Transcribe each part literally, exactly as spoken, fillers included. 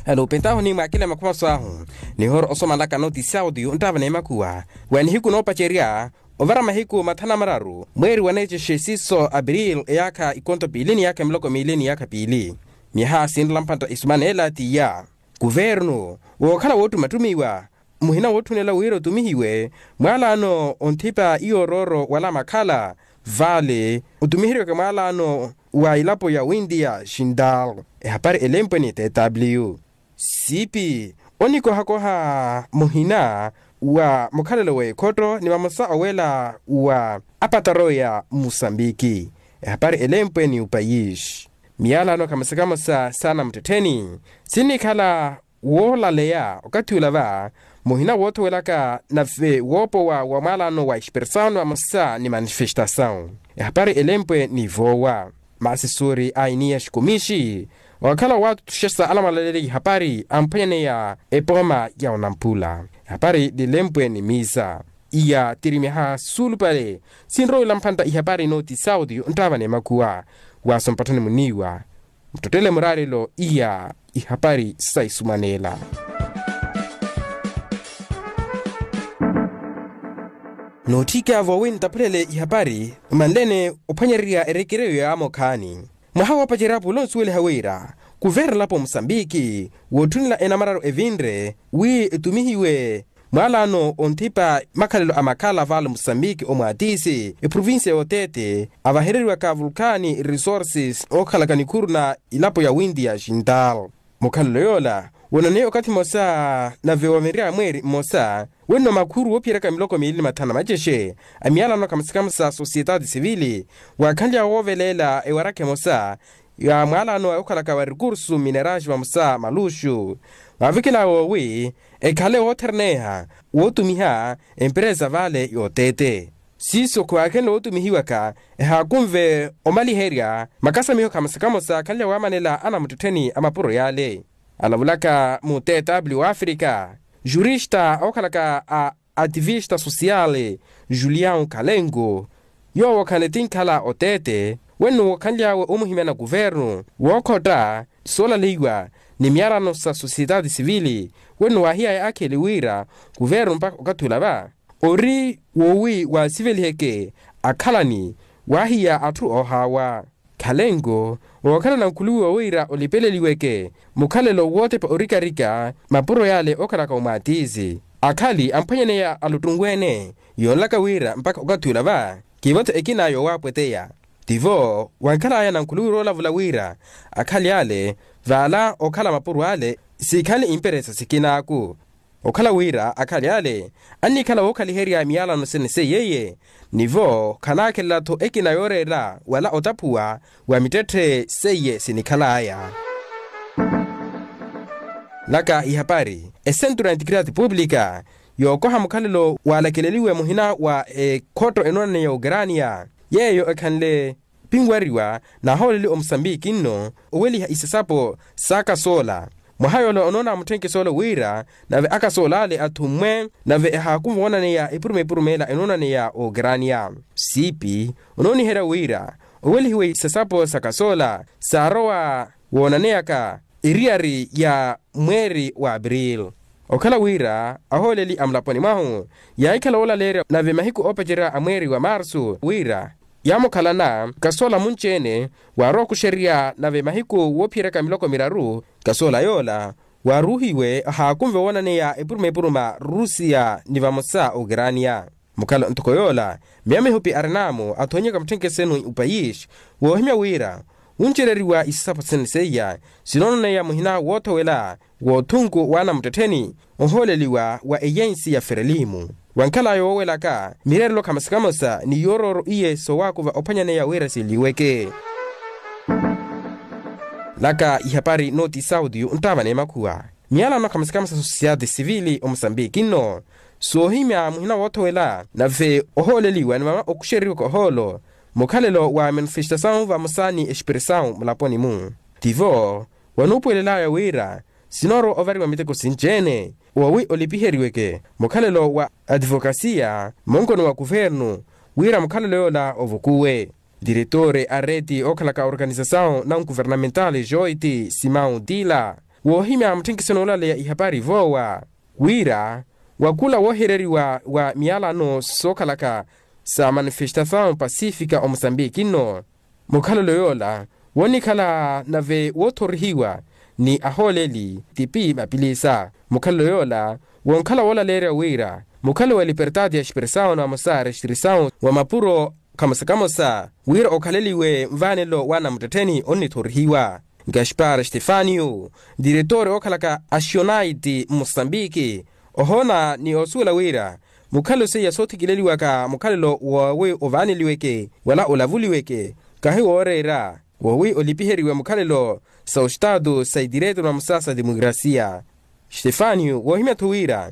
Alo pentaho ni mwaakile makhumaso ahu, nihoora osomalaka notisi audio nttaava n'emakhuwa wa nihiku noopacerya ovara mahiku mathanu na mararu mweeri wa neecexe siiso abril eyaakha ikonto piili ni yaakha miloko miili ni yaakha piili. Myaha sinrela mpantta isumaneela t'iya, kuvernu wookhala woottumattumiwa muhina wootthunela wira otumihiwe mwaalaano onthipa iyoorooro wala makhala vale otumiheriwaka mwaalaano wa ilapo ya windiya xintal. Ehapari elempwe ni tw siipi onikohakoha muhina wa mukhalelo w'ekhotto ni vamosa owela wa apataroya musambiki. Ehapari elempwe ni upayisi miyalano kamosa kamosa saana muttettheni sinnikhala woolaleya okathi ula va muhina woothowelaka nave woopowa wa mwalano wa expressão vamosa ni manifestação. Ehapari elempwe ni voowa masi suuri a iniya xikumixi okhala waatuttuxesa alamwalaleli ihapari amphwanyaneya epooma ya onamphula. Ehapari lilempwe ni miisa iya tiri myaha suulupale sinrowela mphantta ihapari nooti sauti onttaava n'emakhuwa waaso mpatthani muniiwa muttottele muraarelo iya ihapari sa isumaneela. Nootthika voowi nttaphulele ihapari mmanlene ophwanyererya erekereyo yaamokhaani mwaha woopacerya pulo nsuweliha wira kuverna elapo musambiki wootthunela enamararu evinre wi etumihiwe mwaalaano onthipa makhalelo a makhala vaale musambiki omwaatisi eprovincia y'oteete avahereriwaka vulkani resources ookhalaka nikhuru na ilapo ya winti ya xintal. Mukhalelo yoola woonaneye okathi mmosa nave woovenrya mweeri mmosa wenno makhuru woophiyeryaka miloko miili ni mathanu na macexe a miyalano kamosa kamosa societati sivili waakhanlya wooveleela ewarakha emosa ya mwalano okhalaka wa recurso minerais vamosa maluxu. Mwaavikela woowi ekhale woothereneha wootumiha emperesa vale yootete siiso khwaakhenle wootumihiwaka ehaakunve omaliherya makasamiho kamosa kamosa akhanle waamanela anamuttettheni a mapuro yale. Alavulaka mu tw w'afrika jurista okhalaka a ativista sosiyali julian kalengo yoowo khale tinkhala oteete wenno wookhanly'awe omuhimyana kuvernu wookhotta soolaleiwa ni miyarano sa sosiyetati sivili wenno waahiyaya akheli wira kuvernu mpakha okathi ula va ori woowi waasiveliheke akhalani waahiya atthu oohaawa. Khalenko wookhala nankhuluwiwa wira olipeleliweke mukhalelo wootepa orikarika mapuro yale okhalaka omwaatizi akhali amphwanyaneya aluttunwene yoonlaka wira mpakha okathi ula va kiivo-tho ekina yoowaapweteya. Tivo wankhalaya nankhuluwiwa woolavula wira akhali ale vaala okhala mapuro ale sikhale imperesa sikinaaku okhala wira akhali ale annikhala wookhaliherya miyalano sene seiyeiye nivo khanaakhelela-tho ekina yooreera wala otaphuwa wa mittetthe seiye sinikhalaya. Laka ihapari esentro ya integridade pública yookoha mukhalelo waalakeleliwe muhina wa ekhotto enoonaneya ukrania yeeyo ekhanle pinwariwa nahooleli omusambiki nno oweliha isasapo saakasoola mwaha yoola onoona mutthenkesolo wira nave akasoola ale athummwe nave ehaakunva woonaneya epuruma epuruma ela enoonaneya okrania siipi onooniherya wira owelihiwe isasapo sakasoola saarowa woonaneyaka eriyari ya mweeri wa april. Okhala wira ahooleli a mulaponi mwahu yaahikhala woolaleerya nave mahiku oopacerya a mweeri wa marsu wira yaamukhalana kasoola munci-ene waarowa okuxerya nave mahiku woophiyeryaka miloko miraru kasoola yoola waaruuhiwe ahaakunve woonaneya epuruma epuruma rusiya ni vamosa ukrania. Mukhalo ntoko yoola miya mihupi arinaamu athoonyeka mutthenkesenu upayisi woohimya wira wuncereriwa isasapo sene seiya sinoonaneya muhina woothowela w'othunku w'anamuttettheni ohooleliwa wa eyensi ya ferelimu wankhalaya woowelaka mireerelo khamosa khamosa ni yoorooro iye soowaakuva ophwanyaneya wira sinliweke. Laka ihapari nooti sauti nttaava n'emakhuwa miyalano khamosa khamosa sosiyati sivili omusambiki nno soohimya muhina woothowela nave ohooleliwa ni mama okuxereriwaka ohoolo mukhalelo wa manifestasawu vamosa ni expressawu mulaponi-mu tivo wanuupuwelelaya wira sinoorowa ovariwa miteko sinci-ene woowi olipiheriweke mukhalelo wa ativokasiya munkono wa kuvernu wira mukhalelo yoola ovukuwe. Diretore a reti ookhalaka organisasawu na nkuvernamentali joiti simau tila woohimya mutthenkiso noolaleya ihapari voowa wira wa khula woohereriwa wa miyalano sookhalaka sa manifestasawu pasifika omusambiki nno. Mukhalelo yoola woonikhala nave woothorihiwa ni ahooleli tipi mapilisa. Mukhalelo yoola wonkhala woolaleerya wira mukhalo wa libertati ya expresawu na vamosa restirisawu wa mapuro kamosa kamosa wira okhaleliwe nvaanelo wa namuttettheni onnithorihiwa. Gaspar stefaniyo diretori ookhalaka axionaiti mmusambiki ohoona ni oosuwela wira mukhalo seiya soothikileliwaka mukhalelo woowi ovaaneliweke wala olavuliweke kahi wooreera woowi olipiheriwe mukhalelo sa ostaatu sa itireeto na vamosa sa timukrasiya. Stefaniyo woohimya-tho wira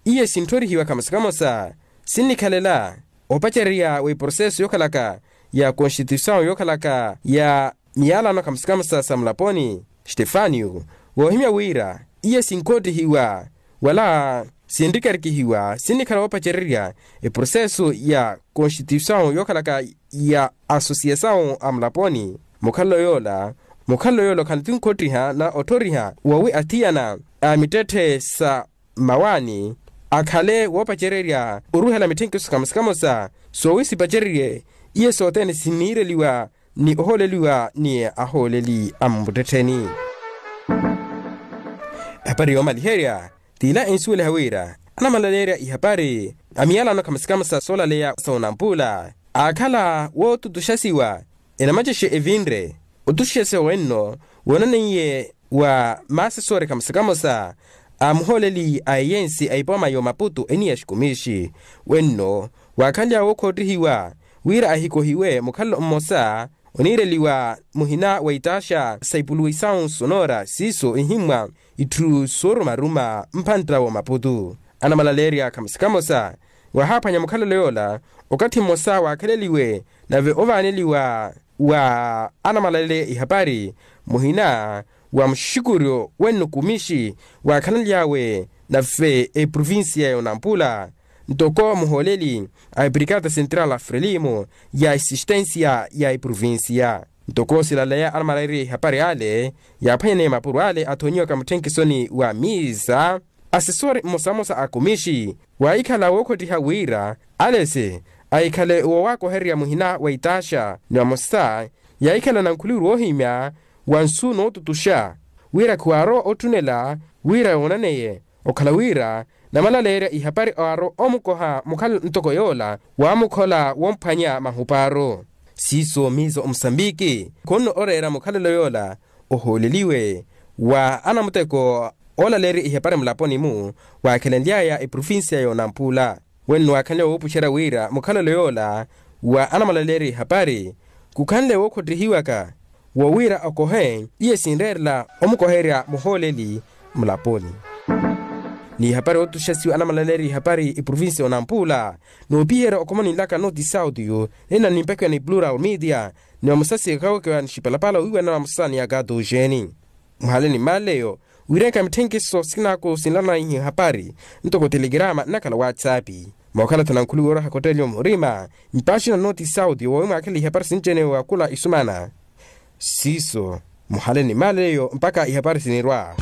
iye sintthorihiwa kamosa kamosa sinnikhalela opacererya wa iproseso yookhalaka ya konstituisawu yookhalaka ya miyalano kamosa kamosa sa mulaponi. Stefaniyo woohimya wira iye sinkoottihiwa wala sinrikarikihiwa sinnikhala woopacererya eproseso ya konstituisawu yookhalaka ya asosiyasawu a mulaponi. Mukhalelo yoola mukhalelo yoola okhale ti nkhottiha na otthoriha woowi athiyana a mittetthe sa mmawaani akhale woopacererya oruhela mitthenkiso kamosa kamosa soowi sipacererye iye sothene siniireliwa ni ohooleliwa ni ahooleli a mmuttettheni. Ehapari yoomaliherya t'ila ensuweliha wira anamalaleerya ihapari a miyalano kamosa kamosa soolaleya sa onampula aakhala wootutuxasiwa enamacexe evinre otuxexewa wenno woonaneiye wa maasesori kamosa kamosa a muhooleli a eyensi a ipooma y'omaputu eniya xikumixi wenno waakhanly'awe wookhottihiwa wira ahikohiwe mukhalelo mmosa oniireliwa muhina wa itaxa sa ipuluwisawu sonora siiso ihimmwa itthu soorumaruma mphantta w'omaputu. Anamalaleerya kamosa kamosa waahaaphwanya mukhalelo yoola okathi mmosa waakhaleliwe nave ovaaneliwa wa anamalaleerya ihapari muhina wa muxikuryo wenno kumixi waakhanly'awe nave eprovincia y'onampula ntoko muhooleli a ebrikata central a frelimo ya esistensia ya eprovincia. Ntoko silaleya anamalaeriye ihapari ale yaaphwanyaneya mapuro ale athonyiwaka mutthenkhesoni wa misa asesori mmosamosa a kumixi waahikhala wookhottiha wira alese ahikhale woowakohererya muhina wa itaxa ni vamosa yaahikhala nankhuliwiri woohimya wa nsu nootutuxa wira khiwaarowa otthunela wira yoonaneye okhala wira namalaleerya ihapari aarowa omukoha mukhalelo ntoko yoola waamukhola womphwanya mahupaaru. Siiso miizo omusambiki khunno oreera mukhalelo yoola ohooleliwe wa anamuteko oolaleerya ihapari mulaponi-mu waakhelenly'aya eprovincia y'onampula wenno waakhanle woopuxerya wira mukhalelo yoola wa anamalaleerya ihapari khukhanle wookhottihiwaka wowira okohe iye sinreerela omukoherya muhooleli mulaponi. Ni ihapari ootuxasiwa anamalaleerya ihapari eprovincia y'onampula noopiherya okhoma ninlaka noti saudio nina nimpakiwa ni plural media ni vamosa sikakawekewa ni xipalapala owiiwanana vamosa ni akato oxeeni muhale ni maleyo wiirenka mitthenkiso sinaaku sinlanaihi hapari ntoko telegirama nnakhala whatsapp mookhala-tho nankhuli wooraha kottelyo murima mpaxina noti saudio woowi mwaakhela ihapari sinci-ene wakhula isumana siiso muhale ni maleyo mpakha ihapari sinirwa.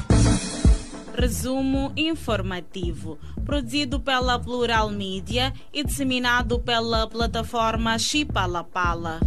Resumo informativo, produzido pela Plural Media e disseminado pela plataforma Chipalapala.